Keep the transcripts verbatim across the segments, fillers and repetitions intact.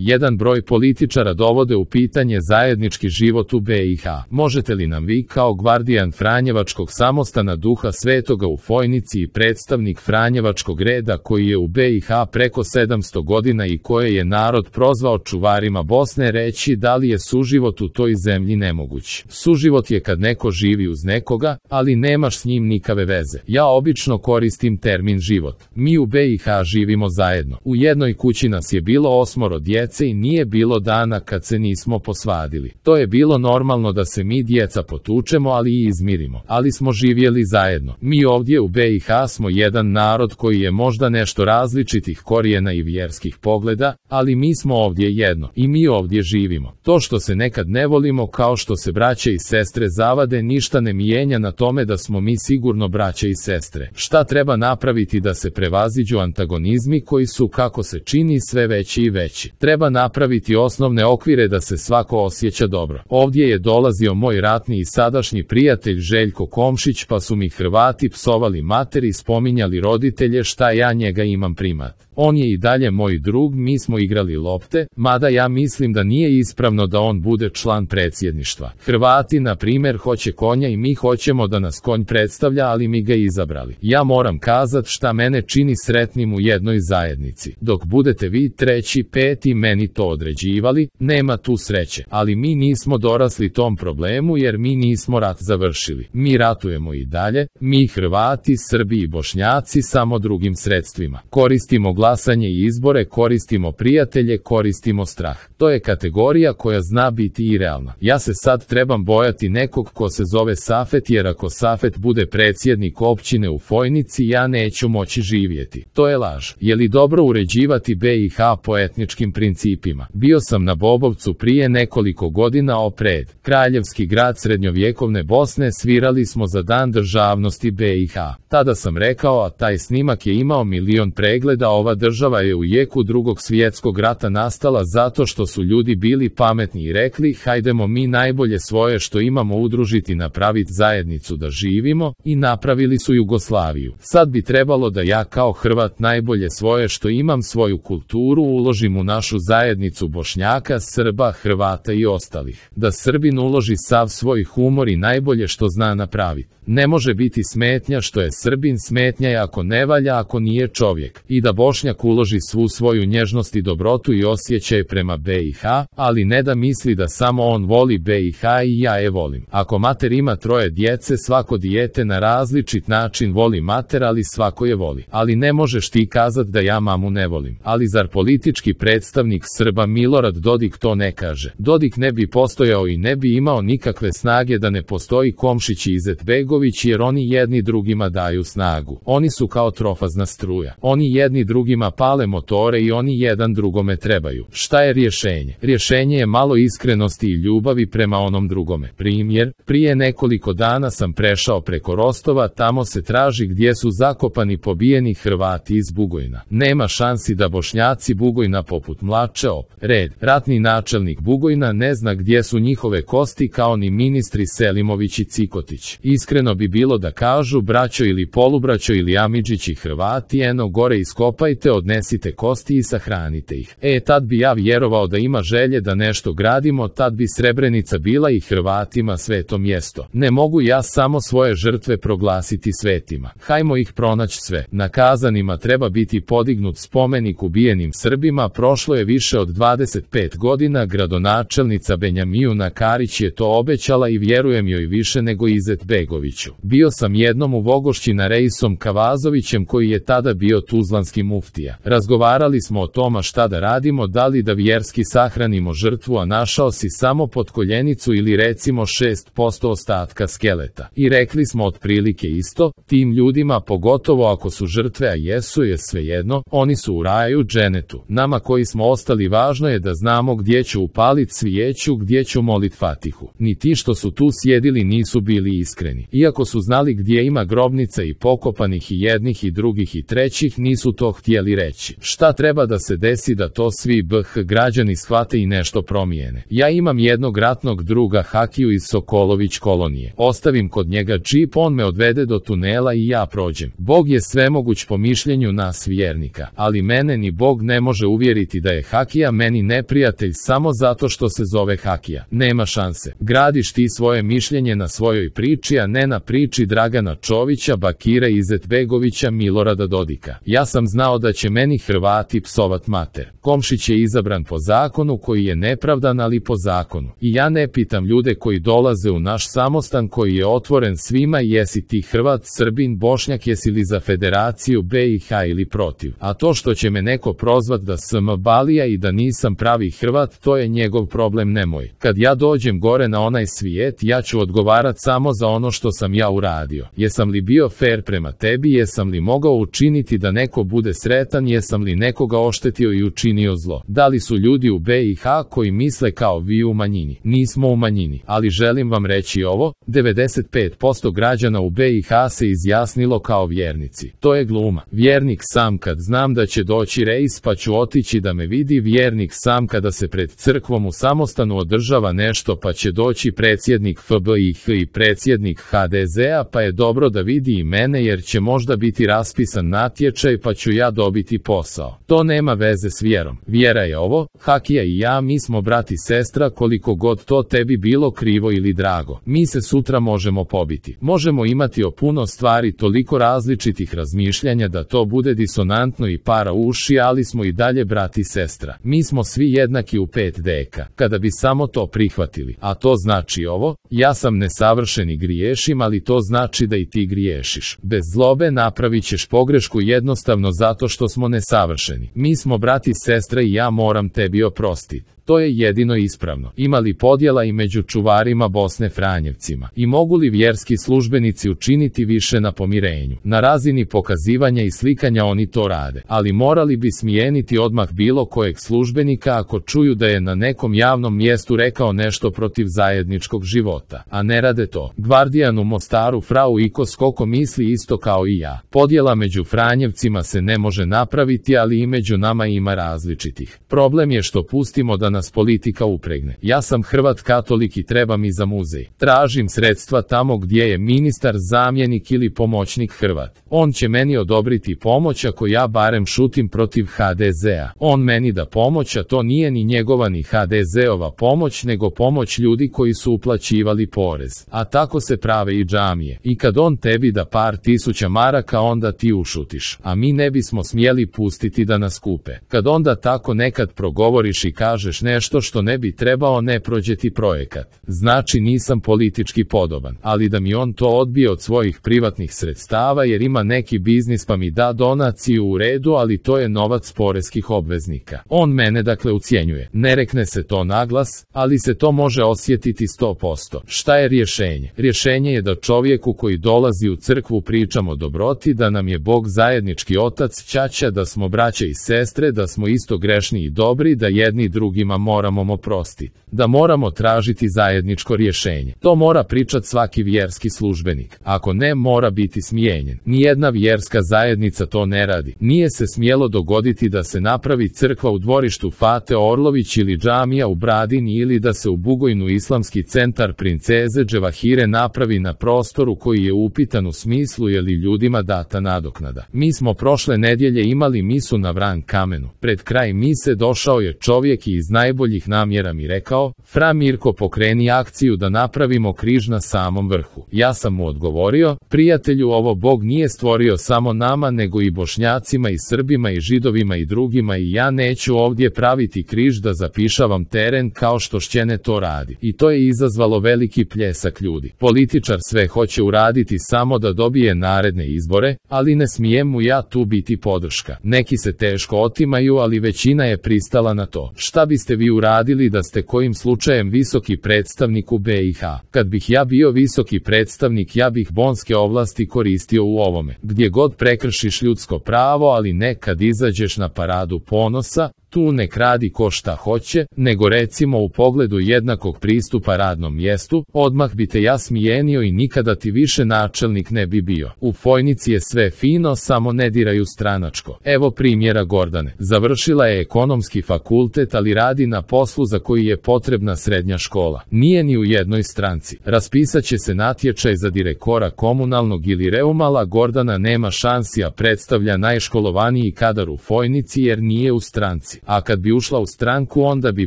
Jedan broj političara dovode u pitanje zajednički život u be i ha. Možete li nam vi kao gvardijan Franjevačkog samostana Duha Svetoga u Fojnici i predstavnik Franjevačkog reda koji je u be i ha preko sedamsto godina i koje je narod prozvao čuvarima Bosne reći da li je suživot u toj zemlji nemoguć? Suživot je kad neko živi uz nekoga, ali nemaš s njim nikave veze. Ja obično koristim termin život. Mi u be i ha živimo zajedno. U jednoj kući nas je bilo osmoro djece i nije bilo dana kad se nismo posvadili. To je bilo normalno da se mi djeca potučemo, ali i izmirimo. Ali smo živjeli zajedno. Mi ovdje u be i ha smo jedan narod koji je možda nešto različitih korijena i vjerskih pogleda, ali mi smo ovdje jedno i mi ovdje živimo. To što se nekad ne volimo kao što se braće i sestre zavade ništa ne mijenja na tome da smo mi sigurno braće i sestre. Šta treba napraviti da se prevaziđu antagonizmi koji su, kako se čini, sve veći i veći? Treba napraviti osnovne okvire da se svako osjeća dobro. Ovdje je dolazio moj ratni i sadašnji prijatelj Željko Komšić, pa su mi Hrvati psovali mater i spominjali roditelje šta ja njega imam primat. On je i dalje moj drug, mi smo igrali lopte, mada ja mislim da nije ispravno da on bude član predsjedništva. Hrvati, na primjer, hoće konja i mi hoćemo da nas konj predstavlja, ali mi ga izabrali. Ja moram kazat šta mene čini sretnim u jednoj zajednici. Dok budete vi treći, peti meni to određivali, nema tu sreće. Ali mi nismo dorasli tom problemu jer mi nismo rat završili. Mi ratujemo i dalje, mi Hrvati, Srbi i Bošnjaci samo drugim sredstvima. Koristimo glasanje i izbore, koristimo prijatelje, koristimo strah. To je kategorija koja zna biti i realna. Ja se sad trebam bojati nekog ko se zove Safet, jer ako Safet bude predsjednik općine u Fojnici, ja neću moći živjeti. To je laž. Je li dobro uređivati be i ha po etničkim principima? Bio sam na Bobovcu prije nekoliko godina opred kraljevski grad srednjovjekovne Bosne, svirali smo za dan državnosti be i ha. Tada sam rekao, a taj snimak je imao milion pregleda, ova država je u jeku drugog svjetskog rata nastala zato što su ljudi bili pametni i rekli hajdemo mi najbolje svoje što imamo udružiti, napraviti zajednicu da živimo, i napravili su Jugoslaviju. Sad bi trebalo da ja kao Hrvat najbolje svoje što imam, svoju kulturu, uložim u našu zajednicu Bošnjaka, Srba, Hrvata i ostalih. Da Srbin uloži sav svoj humor i najbolje što zna napraviti. Ne može biti smetnja što je Srbin, smetnja je ako ne valja, ako nije čovjek. I da Bošnjak uloži svu svoju nježnost i dobrotu i osjećaj prema be i ha, ali ne da misli da samo on voli be i ha i ja je volim. Ako mater ima troje djece, svako dijete na različit način voli mater, ali svako je voli. Ali ne možeš ti kazat da ja mamu ne volim. Ali zar politički predstavnik Srba Milorad Dodik to ne kaže? Dodik ne bi postojao i ne bi imao nikakve snage da ne postoji Komšić i Izetbegović, jer oni jedni drugima daju snagu. Oni su kao trofazna struja. Oni jedni drugima pale motore i oni jedan drugome trebaju. Šta je rješenje? Rješenje je malo iskrenosti i ljubavi prema onom drugome. Primjer, prije nekoliko dana sam prešao preko Rostova, tamo se traži gdje su zakopani pobijeni Hrvati iz Bugojna. Nema šansi da Bošnjaci Bugojna poput Mlače Op, Red, ratni načelnik Bugojna, ne zna gdje su njihove kosti, kao ni ministri Selimović i Cikotić. Iskreno bi bilo da kažu braćo ili polubraćo ili Amidžić i Hrvati, eno gore iskopajte, odnesite kosti i sahranite ih. E, tad bi ja vjerovao da ima želje da nešto gradimo, tad bi Srebrenica bila i Hrvatima sveto mjesto. Ne mogu ja samo svoje žrtve proglasiti svetima. Hajmo ih pronaći sve. Na Kazanima treba biti podignut spomenik ubijenim Srbima, prošlo je više od dvadeset pet godina, gradonačelnica Benjamijuna Karić je to obećala i vjerujem joj više nego Izetbegoviću. Bio sam jednom u Vogošći na Reisom Kavazovićem koji je tada bio tuzlanski muftija. Razgovarali smo o tome šta da radimo, da li da vjerski sahranimo žrtvu, a našao si samo potkoljenicu ili recimo šest posto ostatka skeleta. I rekli smo otprilike isto, tim ljudima, pogotovo ako su žrtve, a jesu, je svejedno, oni su u raju, dženetu. Nama koji smo ostali važno je da znamo gdje ću upalit svijeću, gdje ću molit Fatihu. Ni ti što su tu sjedili nisu bili iskreni. Iako su znali gdje ima grobnica i pokopanih i jednih i drugih i trećih, nisu to htjeli reći. Šta treba da se desi da to svi B H građani shvate i nešto promijene? Ja imam jednog ratnog druga Hakiju iz Sokolović kolonije. Ostavim kod njega džip, on me odvede do tunela i ja prođem. Bog je svemoguć po mišljenju nas vjernika, ali mene ni Bog ne može uvjeriti da je Hakija meni neprijatelj samo zato što se zove Hakija. Nema šanse. Gradiš ti svoje mišljenje na svojoj priči, a ne na priči Dragana Čovića, Bakira Izetbegovića, Milorada Dodika. Ja sam znao da će meni Hrvati psovat mater. Komšić je izabran po zakonu koji je nepravdan, ali po zakonu. I ja ne pitam ljude koji dolaze u naš samostan koji je otvoren svima jesi ti Hrvat, Srbin, Bošnjak, jesi li za Federaciju B i H ili protiv. A to što će me neko prozvat da sam balija i da nisam pravi Hrvat, to je njegov problem, ne moj. Kad ja dođem gore na onaj svijet, ja ću odgovarat samo za ono što sam ja uradio. Jesam li bio fair prema tebi, jesam li mogao učiniti da neko bude sretan, jesam li nekoga oštetio i učinio zlo. Da li su ljudi u B i H koji misle kao vi u manjini? Nismo u manjini, ali želim vam reći ovo, devedeset pet posto građana u B i H se izjasnilo kao vjernici. To je gluma. Vjernik sam kad znam da će doći rejs pa ću otići da me vidi, vjernik sam kada se pred crkvom u samostanu održava nešto pa će doći predsjednik F B I H i predsjednik H D Z-a pa je dobro da vidi i mene jer će možda biti raspisan natječaj pa ću ja dobiti posao. To nema veze s vjerom. Vjera je ovo, Hakija i ja mi smo brat i sestra koliko god to tebi bilo krivo ili drago. Mi se sutra možemo pobiti. Možemo imati o puno stvari toliko različitih razmišljanja da to bude disonantno i para uši, ali smo i dalje brat i sestra. Mi smo svi jednaki u pet deka. Kada bi samo to prihvatili, a to znači ovo, ja sam nesavršen i griješim, ali to znači da i ti griješiš. Bez zlobe napravit ćeš pogrešku jednostavno zato što smo nesavršeni. Mi smo brat i sestra i ja moram tebi oprostiti. To je jedino ispravno. Ima li podjela i među čuvarima Bosne Franjevcima? I mogu li vjerski službenici učiniti više na pomirenju? Na razini pokazivanja i slikanja oni to rade, ali morali bi smijeniti odmah bilo kojeg službenika ako čuju da je na nekom javnom mjestu rekao nešto protiv zajedničkog života, a ne rade to. Gvardijan u Mostaru frau Iko Skoko misli isto kao i ja. Podjela među Franjevcima se ne može napraviti, ali i među nama ima različitih. Problem je što pustimo da nas politika upregne. Ja sam Hrvat katolik i treba mi za muzej. Tražim sredstva tamo gdje je ministar, zamjenik ili pomoćnik Hrvat. On će meni odobriti pomoć ako ja barem šutim protiv H D Z-a. On meni da pomoć, a to nije ni njegova ni H D Z-ova pomoć, nego pomoć ljudi koji su uplaćivali porez. A tako se prave i džamije. I kad on tebi da par tisuća maraka, onda ti ušutiš. A mi ne bismo smjeli pustiti da nas kupe. Kad onda tako nekad progovoriš i kažeš nešto što ne bi trebao, ne prođe ti projekat. Znači nisam politički podoban, ali da mi on to odbije od svojih privatnih sredstava jer ima neki biznis pa mi da donaciju u redu, ali to je novac poreskih obveznika. On mene dakle ucjenjuje. Ne rekne se to naglas, ali se to može osjetiti sto posto. Šta je rješenje? Rješenje je da čovjeku koji dolazi u crkvu pričamo dobroti, da nam je Bog zajednički otac, ćaća, da smo braće i sestre, da smo isto grešni i dobri, da jedni drugima moramo oprostiti, da moramo tražiti zajedničko rješenje. To mora pričat svaki vjerski službenik. Ako ne, mora biti smijenjen. Nijedna vjerska zajednica to ne radi. Nije se smjelo dogoditi da se napravi crkva u dvorištu Fate Orlović ili džamija u Bradini ili da se u Bugojnu islamski centar princeze Dževahire napravi na prostoru koji je upitan u smislu je li ljudima data nadoknada. Mi smo prošle nedjelje imali misu na Vran kamenu. Pred kraj mise došao je čovjek i iz najboljih namjera mi rekao: Fra Mirko, pokreni akciju da napravimo križ na samom vrhu. Ja sam mu odgovorio: prijatelju, ovo Bog nije stvorio samo nama nego i Bošnjacima i Srbima i Židovima i drugima i ja neću ovdje praviti križ da zapišavam teren kao što Šćene to radi. I to je izazvalo veliki pljesak ljudi. Političar sve hoće uraditi samo da dobije naredne izbore, ali ne smijem mu ja tu biti podrška. Neki se teško otimaju, ali većina je pristala na to. Šta biste vi uradili da ste kojim slučajem visoki predstavnik u B i H? Kad bih ja bio visoki predstavnik, ja bih bonske ovlasti koristio u ovome. Gdje god prekršiš ljudsko pravo, ali ne kad izađeš na paradu ponosa, tu ne kradi ko šta hoće, nego recimo u pogledu jednakog pristupa radnom mjestu, odmah bi te ja smijenio i nikada ti više načelnik ne bi bio. U Fojnici je sve fino, samo ne diraju stranačko. Evo primjera Gordane. Završila je ekonomski fakultet, ali radi na poslu za koji je potrebna srednja škola. Nije ni u jednoj stranci. Raspisat će se natječaj za direktora komunalnog ili Reumala. Gordana nema šansi, a predstavlja najškolovaniji kadar u Fojnici jer nije u stranci. A kad bi ušla u stranku, onda bi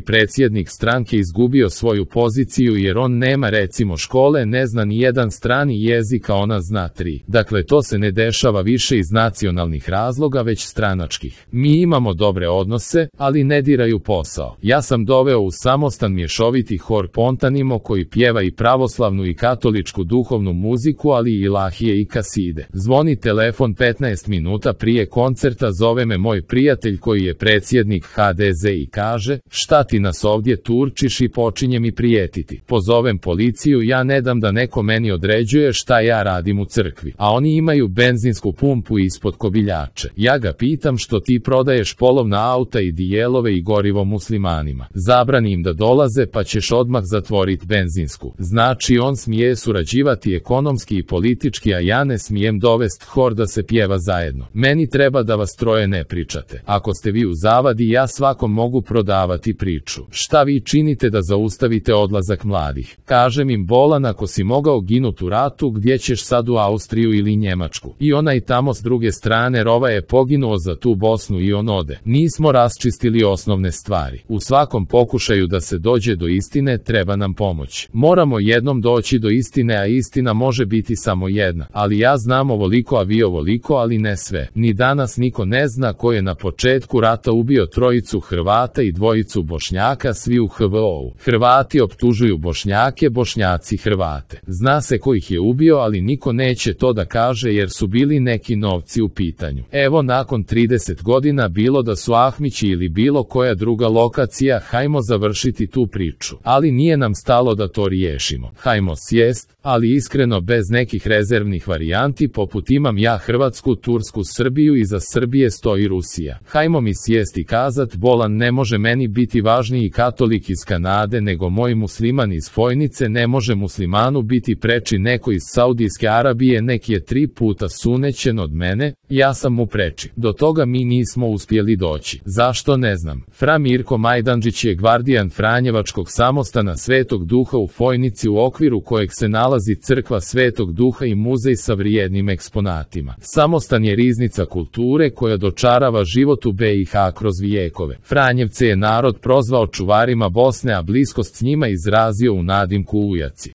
predsjednik stranke izgubio svoju poziciju jer on nema recimo škole, ne zna ni jedan strani jezik, a ona zna tri. Dakle, to se ne dešava više iz nacionalnih razloga, već stranačkih. Mi imamo dobre odnose, ali ne diraju posao. Ja sam doveo u Samostan mješoviti hor Pontanimo koji pjeva i pravoslavnu i katoličku duhovnu muziku, ali i ilahije i kaside. Zvoni telefon petnaest minuta prije koncerta, zove me moj prijatelj koji je predsjednik ha de ze i kaže: šta ti nas ovdje turčiš, i počinje mi prijetiti. Pozovem policiju, ja ne dam da neko meni određuje šta ja radim u crkvi, a oni imaju benzinsku pumpu ispod kobiljače. Ja ga pitam što ti prodaješ polovna auta i dijelove i gorivo muslimanima. Zabrani im da dolaze pa ćeš odmah zatvoriti benzinsku. Znači on smije surađivati ekonomski i politički, a ja ne smijem dovest hor da se pjeva zajedno. Meni treba da vas troje ne pričate. Ako ste vi u zavadi, ja svakom mogu prodavati priču. Šta vi činite da zaustavite odlazak mladih? Kažem im: bolan, ako si mogao ginut u ratu, gdje ćeš sad, u Austriju ili Njemačku? I onaj tamo s druge strane rova je poginuo za tu Bosnu i on ode. Nismo raščistili osnovne stvari. U svakom pokušaju da se dođe do istine treba nam pomoć. Moramo jednom doći do istine, a istina može biti samo jedna. Ali ja znam ovoliko, a vi ovoliko, ali ne sve. Ni danas niko ne zna ko je na početku rata ubio trojicu Hrvata i dvojicu Bošnjaka, svi u ha ve o-u. Hrvati optužuju Bošnjake, Bošnjaci Hrvate. Zna se ko ih je ubio, ali niko neće to da kaže jer su bili neki novci u pitanju. Evo, nakon trideset godina, bilo da su Ahmići ili bilo koja druga lokacija, hajmo završiti tu priču. Ali nije nam stalo da to riješimo. Hajmo sjest, ali iskreno bez nekih rezervnih varijanti poput imam ja Hrvatsku, Tursku, Srbiju, i za Srbije stoji Rusija. Hajmo mi sjest i kazat: bolan, ne može meni biti važniji katolik iz Kanade nego moj musliman iz Fojnice, ne može muslimanu biti preči neko iz Saudijske Arabije, nek je tri puta sunećen od mene, ja sam mu preči. Do toga mi nismo uspjeli doći. Zašto, ne znam. Fra Mirko Majdanđić je gvardijan Franjevačkog samostana Svetog Duha u Fojnici, u okviru kojeg se nalazi crkva Svetog Duha i muzej sa vrijednim eksponatima. Samostan je riznica kulture koja dočarava život u be i ha kroz vijekove. Franjevce je narod prozvao čuvarima Bosne, a bliskost s njima izrazio u nadimku Ujaci.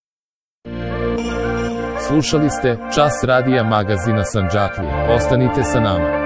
Slušali ste Čas radija magazina Sandžaklije. Ostanite sa nama.